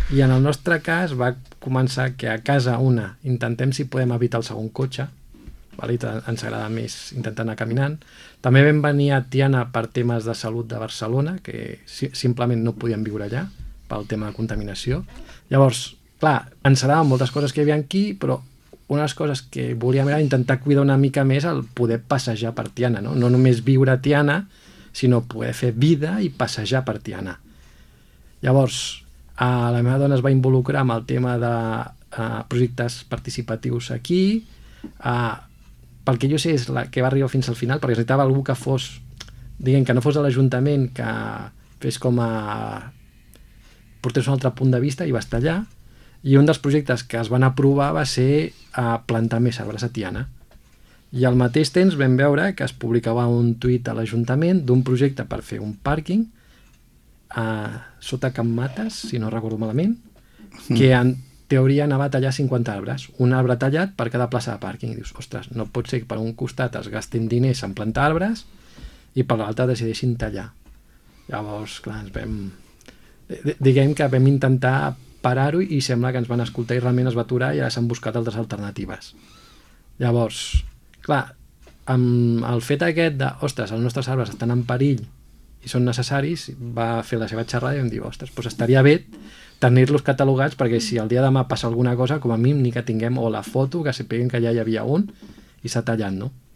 I en el nostre cas va començar que a casa intentem si podem evitar el segon cotxe, vale? Ens agrada més intentar anar caminant. També vam venir a Tiana per temes de salut de Barcelona, que simplement no podíem viure allà pel tema de contaminació. Llavors, clar, ens agradaven moltes coses que hi havia aquí, però una de les coses que volíem era intentar cuidar una mica més el poder passejar per Tiana, no? No només viure a Tiana, sinó poder fer vida i passejar per Tiana. Llavors, la meva dona es va involucrar amb el tema de projectes participatius aquí. Pel que jo sé és la que va arribar fins al final, perquè necessitava algú que fos, diguem, que no fos de l'Ajuntament, que fes com a portés un altre punt de vista, i va estar allà. I un dels projectes que es van aprovar va ser plantar més arbres a Tiana. I al mateix temps vam veure que es publicava un tuit a l'Ajuntament d'un projecte per fer un pàrquing sota Can Mates, si no recordo malament, que en teoria anava a tallar 50 arbres, un arbre tallat per cada plaça de pàrquing. I dius, ostres, no pot ser que per un costat es gastin diners en plantar arbres i per l'altre decideixin tallar. Llavors, clar, diguem que vam intentar parar-ho i sembla que ens van escoltar i realment es va aturar i ara s'han buscat altres alternatives. Llavors, clar, amb el fet aquest de, ostres, els nostres arbres estan en perill i són necessaris, va fer la seva xerrada i vam dir, ostres, doncs estaria bé tenir-los catalogats perquè si el dia de demà passa alguna cosa, com a mínim ni que tinguem o la foto, que sapiguem que ja hi havia un i s'ha tallat, no?